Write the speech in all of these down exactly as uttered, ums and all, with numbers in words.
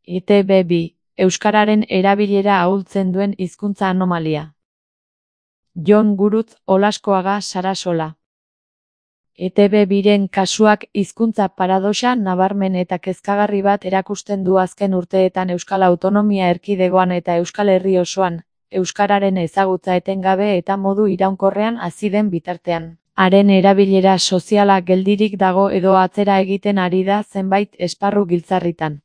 E Te Be bi, euskararen erabilera ahultzen duen hizkuntza anomalia. Jon Gurutz Olaskoaga Sarasola. E Te Be biren kasuak hizkuntza paradoxa nabarmen eta kezkagarri bat erakusten du azken urteetan Euskal Autonomia Erkidegoan eta Euskal Herri osoan, euskararen ezagutza etengabe eta modu iraunkorrean hazi den bitartean. Haren erabilera soziala geldirik dago edo atzera egiten ari da zenbait esparru giltzarritan.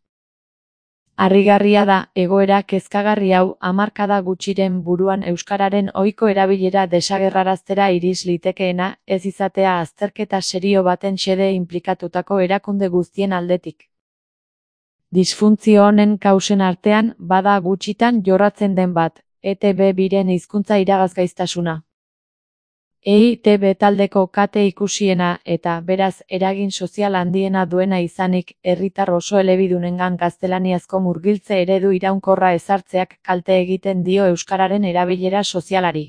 Harrigarria da, egoera kezkagarri hau hamarkada gutxiren buruan euskararen ohiko erabilera desagerraraztera iris litekeena, ez izatea azterketa serio baten xede inplikatutako erakunde guztien aldetik. Disfuntzio honen kausen artean, bada gutxitan jorratzen den bat, E Te Be biren hizkuntza iragazgaiztasuna. E Te Be taldeko kate ikusiena eta, beraz, eragin sozial handiena duena izanik, herritar oso elebidunengan gaztelaniazko murgiltze eredu iraunkorra ezartzeak kalte egiten dio euskararen erabilera sozialari.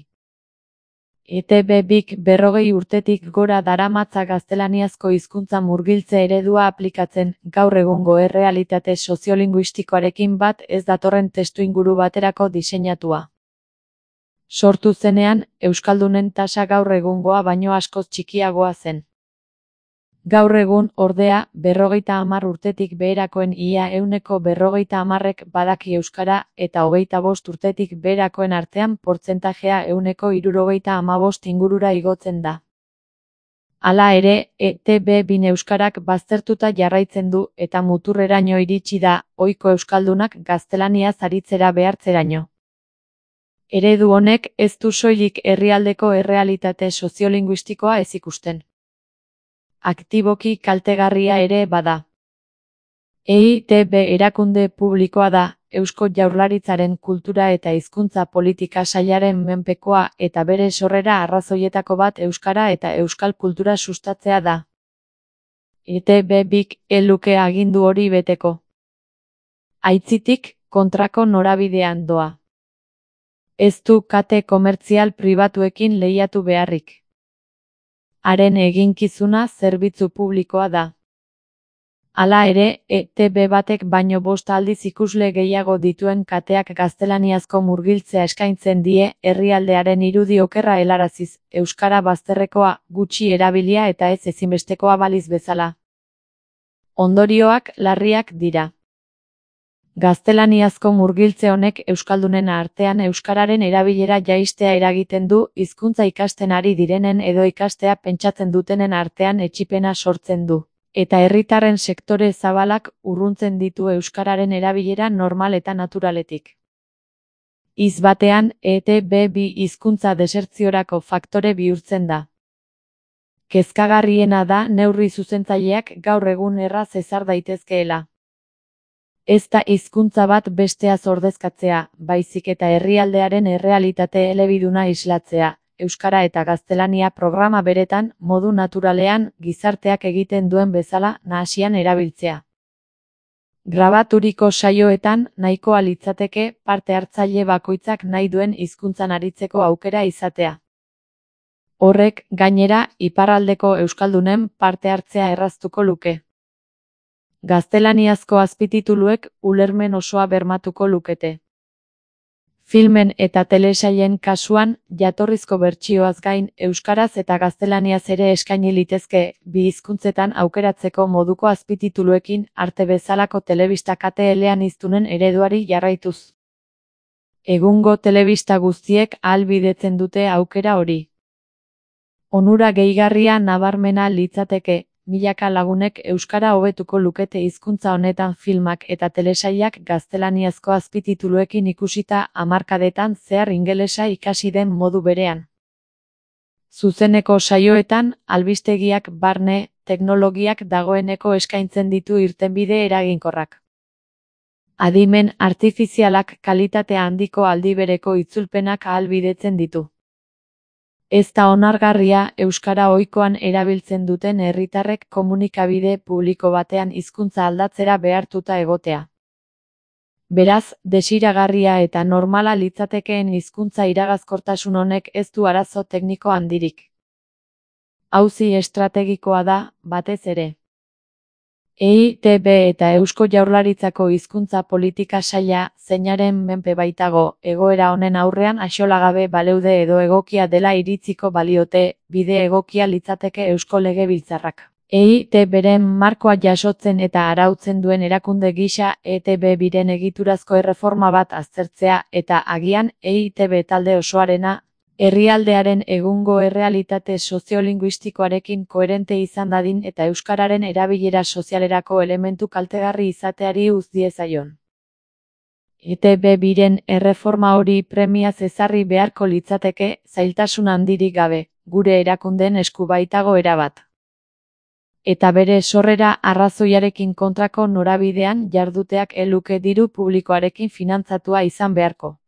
E Te Be bik berrogei urtetik gora daramatza gaztelaniazko hizkuntza murgiltze eredua aplikatzen, gaur egungo errealitate soziolinguistikoarekin bat ez datorren testuinguru baterako diseinatua. Sortu zenean, euskaldunen tasa gaur egungoa baino askoz txikiagoa zen. Gaur egun, ordea, berrogeita hamar urtetik beherakoen ia ehuneko berrogeita hamarrek badaki euskara eta hogeita bost urtetik beherakoen artean portzentajea ehuneko hirurogeita hamabost ingurura igotzen da. Hala ere, E Te Be bin euskarak baztertuta jarraitzen du eta muturreraino iritsi da, ohiko euskaldunak gaztelaniaz aritzera behartzeraino. Eredu honek ez du soilik herrialdeko errealitate soziolinguistikoa ez ikusten. Aktiboki kaltegarria ere bada. E Te Be erakunde publikoa da, Eusko Jaurlaritzaren kultura eta hizkuntza politika sailaren menpekoa eta bere sorrera arrazoietako bat euskara eta euskal kultura sustatzea da. E Te Be bik ez luke agindu hori beteko. Aitzitik, kontrako norabidean doa. Ez du kate komertzial pribatuekin lehiatu beharrik. Haren eginkizuna zerbitzu publikoa da. Hala ere, E Te Be batek baino bost aldiz ikusle gehiago dituen kateak gaztelaniazko murgiltzea eskaintzen die herrialdearen irudi okerra helaraziz, euskara bazterrekoa, gutxi erabilia eta ez ezinbestekoa baliz bezala. Ondorioak larriak dira. Gaztelaniazko murgiltze honek euskaldunen artean euskararen erabilera jaistea eragiten du, hizkuntza ikasten ari direnen edo ikastea pentsatzen dutenen artean etsipena sortzen du, eta herritarren sektore zabalak urruntzen ditu euskararen erabilera normal eta naturaletik. Hitz batean, E Te Be bi hizkuntza desertziorako faktore bihurtzen da. Kezkagarriena da neurri zuzentzaileak gaur egun erraz ezar daitezkeela. Ez da hizkuntza bat besteaz ordezkatzea, baizik eta herrialdearen errealitate elebiduna islatzea, euskara eta gaztelania programa beretan, modu naturalean, gizarteak egiten duen bezala, nahasian erabiltzea. Grabaturiko saioetan, nahikoa litzateke, parte hartzaile bakoitzak nahi duen hizkuntzan aritzeko aukera izatea. Horrek, gainera, iparraldeko euskaldunen parte hartzea erraztuko luke. Gaztelaniazko azpitituluek ulermen osoa bermatuko lukete. Filmen eta telesailen kasuan, jatorrizko bertsioaz gain, euskaraz eta gaztelaniaz ere eskaini litezke, bi hizkuntzetan aukeratzeko moduko azpitituluekin, arte bezalako telebista kate eleaniztunen ereduari jarraituz. Egungo telebista guztiek ahalbidetzen dute aukera hori. Onura gehigarria nabarmena litzateke, milaka lagunek euskara hobetuko lukete hizkuntza honetan filmak eta telesailak gaztelaniazko azpitituluekin ikusita hamarkadetan zehar ingelesa ikasi den modu berean. Zuzeneko saioetan, albistegiak barne, teknologiak dagoeneko eskaintzen ditu irtenbide eraginkorrak. Adimen artifizialak kalitate handiko aldibereko itzulpenak ahalbidetzen ditu. Ez da onargarria euskara ohikoan erabiltzen duten herritarrek komunikabide publiko batean hizkuntza aldatzera behartuta egotea. Beraz, desiragarria eta normala litzatekeen hizkuntza iragazkortasun honek ez du arazo tekniko handirik. Auzi estrategikoa da, batez ere. E I Te Be eta Eusko Jaurlaritzako Hizkuntza Politika Saila, zeinaren menpe baitago, egoera honen aurrean axolagabe baleude edo egokia dela iritziko baliote, bide egokia litzateke Eusko Legebiltzarrak. E I Te Beren markoa jasotzen eta arautzen duen erakunde gisa E Te Be biren egiturazko erreforma bat aztertzea eta agian E I Te Be talde osoarena, herrialdearen egungo errealitate soziolinguistikoarekin koherente izan dadin eta euskararen erabilera sozialerako elementu kaltegarri izateari uz diezaion. E Te Be biren erreforma hori premiaz ezarri beharko litzateke, zailtasun handirik gabe, gure erakundeen esku baitago erabat. Eta bere sorrera arrazoiarekin kontrako norabidean jarduteak ez luke diru publikoarekin finantzatua izan beharko.